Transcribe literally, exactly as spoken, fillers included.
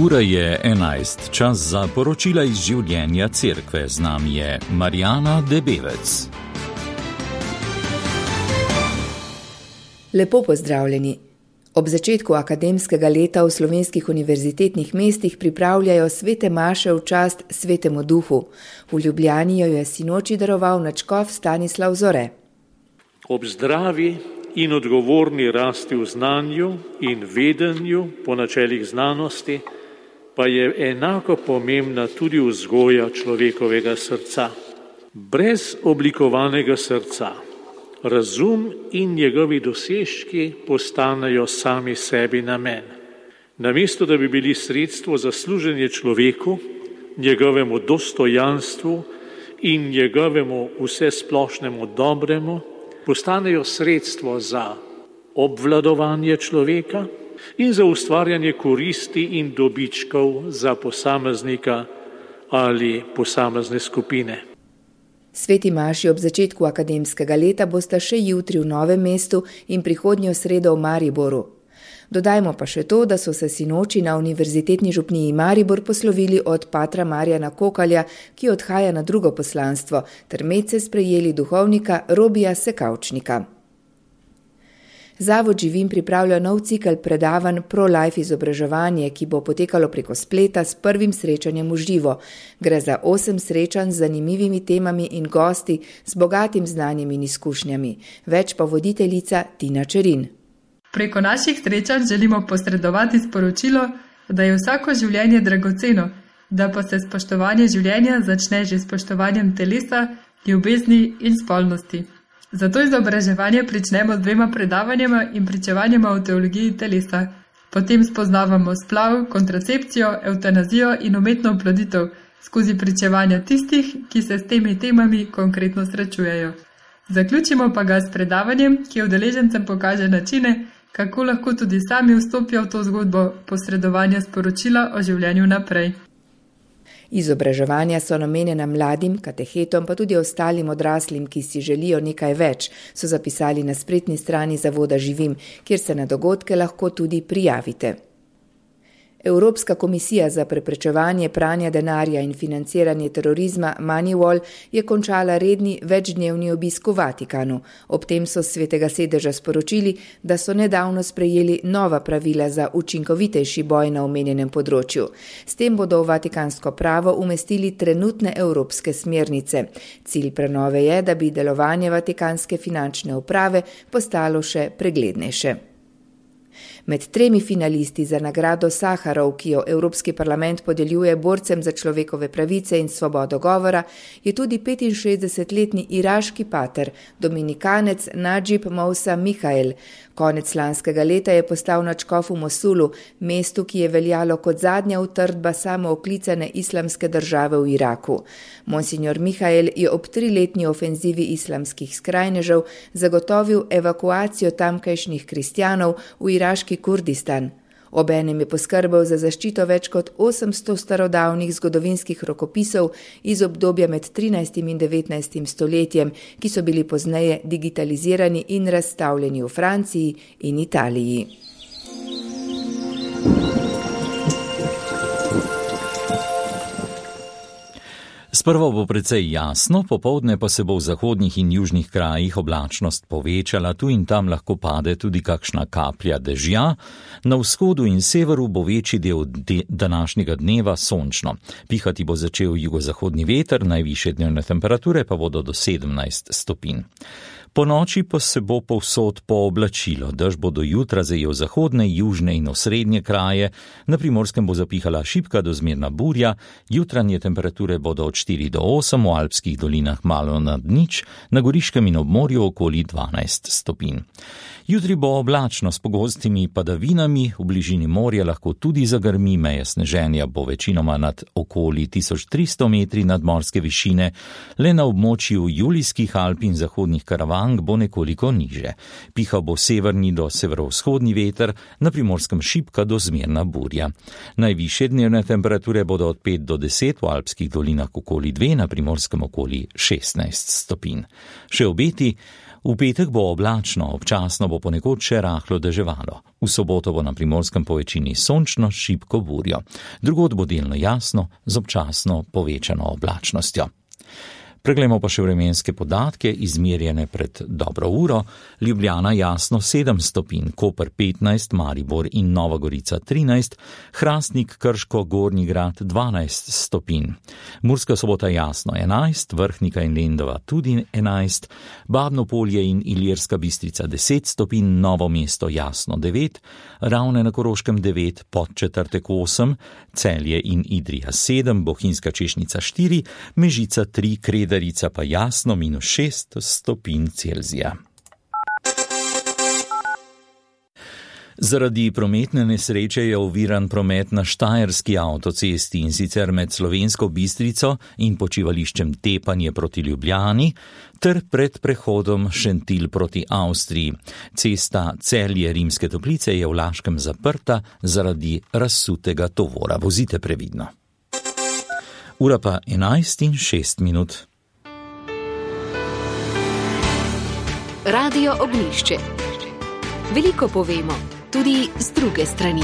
Ura je enajst, čas za poročila iz življenja cerkve. Z nami je Marjana Debevec. Lepo pozdravljeni. Ob začetku akademskega leta v slovenskih univerzitetnih mestih pripravljajo svete maše v čast Svetemu Duhu. V Ljubljani jo je sinoči daroval nadškof Stanislav Zore. Ob zdravi in odgovorni rasti v znanju in vedenju po načelih znanosti pa je enako pomembna tudi vzgoja človekovega srca. Brez oblikovanega srca razum in njegovi dosežki postanejo sami sebi namen. Namesto da bi bili sredstvo za služenje človeku, njegovemu dostojanstvu in njegovemu vsesplošnemu dobremu, postanejo sredstvo za obvladovanje človeka in za ustvarjanje koristi in dobičkov za posameznika ali posamezne skupine. Sveti maši ob začetku akademskega leta bosta še jutri v Novem mestu in prihodnjo sredo v Mariboru. Dodajmo pa še to, da so se sinoči na Univerzitetni župniji Maribor poslovili od patra Marjana Kokalja, ki odhaja na drugo poslanstvo, ter medse sprejeli duhovnika Robija Sekavčnika. Zavod Živim pripravlja nov cikel predavanj Pro-Life izobraževanje, ki bo potekalo preko spleta s prvim srečanjem v živo. Gre za osem srečanj z zanimivimi temami in gosti z bogatim znanjem in izkušnjami. Več pa voditeljica Tina Čerin. Preko naših srečanj želimo posredovati sporočilo, da je vsako življenje dragoceno, da pa se spoštovanje življenja začne že s spoštovanjem telesa, ljubezni in spolnosti. Zato izobraževanje pričnemo z dvema predavanjima in pričevanjima o teologiji telesa. Potem spoznavamo splav, kontracepcijo, evtanazijo in umetno oploditev skozi pričevanja tistih, ki se s temi temami konkretno srečujejo. Zaključimo pa ga s predavanjem, ki udeležencem pokaže načine, kako lahko tudi sami vstopijo v to zgodbo posredovanja sporočila o življenju naprej. Izobraževanja so namenjena mladim, katehetom, pa tudi ostalim odraslim, ki si želijo nekaj več, so zapisali na spletni strani Zavoda Živim, kjer se na dogodke lahko tudi prijavite. Evropska komisija za preprečevanje pranja denarja in financiranje terorizma Moneyval je končala redni večdnevni obisk v Vatikanu. Ob tem so s Svetega sedeža sporočili, da so nedavno sprejeli nova pravila za učinkovitejši boj na omenjenem področju. S tem bodo v vatikansko pravo umestili trenutne evropske smernice. Cilj prenove je, da bi delovanje vatikanske finančne uprave postalo še preglednejše. Med tremi finalisti za nagrado Saharov, ki jo Evropski parlament podeljuje borcem za človekove pravice in svobodo govora, je tudi petinšestdesetletni iraški pater, dominikanec Nadžib Mousa Mihael. Konec lanskega leta je postal nadškof v Mosulu, mestu, ki je veljalo kot zadnja utrdba samooklicane islamske države v Iraku. Monsignor Mihael je ob triletni ofenzivi islamskih skrajnežev zagotovil evakuacijo tamkajšnjih kristjanov v iraški Kurdistan. Obenem je poskrbel za zaščito več kot osemsto starodavnih zgodovinskih rokopisov iz obdobja med trinajstim in devetnajstim stoletjem, ki so bili pozneje digitalizirani in razstavljeni v Franciji in Italiji. Sprva bo precej jasno, popoldne pa se bo v zahodnih in južnih krajih oblačnost povečala, tu in tam lahko pade tudi kakšna kaplja dežja, na vzhodu in severu bo večji del de- današnjega dneva sončno. Pihati bo začel jugozahodni veter, najvišje dnevne temperature pa bodo do sedemnajst stopinj. Po noči pa se bo povsod pooblačilo, dež bo do jutra zajel zahodne, južne in osrednje kraje, na Primorskem bo zapihala šibka do zmerna burja, jutranje temperature bodo od štiri do osem, v alpskih dolinah malo nad nič, na Goriškem in ob morju okoli dvanajst stopinj. Jutri bo oblačno s pogostimi padavinami, v bližini morja lahko tudi zagrmi, meje sneženja bo večinoma nad okoli tisoč tristo metri nadmorske višine, le na območju Julijskih Alp in zahodnih Karavan Kranj bo nekoliko niže. Pihal bo severni do severovzhodni veter, na Primorskem šibka do zmerna burja. Najvišje dnevne temperature bodo od pet do deset, v alpskih dolinah okoli dve, na Primorskem okoli šestnajst stopinj. Še obeti. V petek bo oblačno, občasno bo ponekod še rahlo deževalo. V soboto bo na Primorskem povečini sončno s šibko burjo. Drugod bo delno jasno z občasno povečano oblačnostjo. Preglejmo pa še vremenske podatke, izmerjene pred dobro uro. Ljubljana jasno sedem stopinj, Koper petnajst, Maribor in Nova Gorica trinajst, Hrastnik, Krško, Gornji Grad dvanajst stopinj. Murska Sobota jasno enajst, Vrhnika in Lendava tudi enajst, Babno Polje in Ilirska Bistrica deset stopinj, Novo mesto jasno devet, Ravne na Koroškem devet, Podčetrtek osem, Celje in Idrija sedem, Bohinjska Češnica štiri, Mežica tri, Kredarica pa jasno minus šest stopinj Celzija. Zaradi prometne nesreče je oviran promet na Štajerski avtocesti, in sicer med Slovensko Bistrico in počivališčem Tepanje proti Ljubljani ter pred prehodom Šentilj proti Avstriji. Cesta Celje Rimske Toplice je v Laškem zaprta zaradi razsutega tovora. Vozite previdno. Ura pa enajst in šest minut. Radio Ognjišče. Veliko povemo, tudi z druge strani.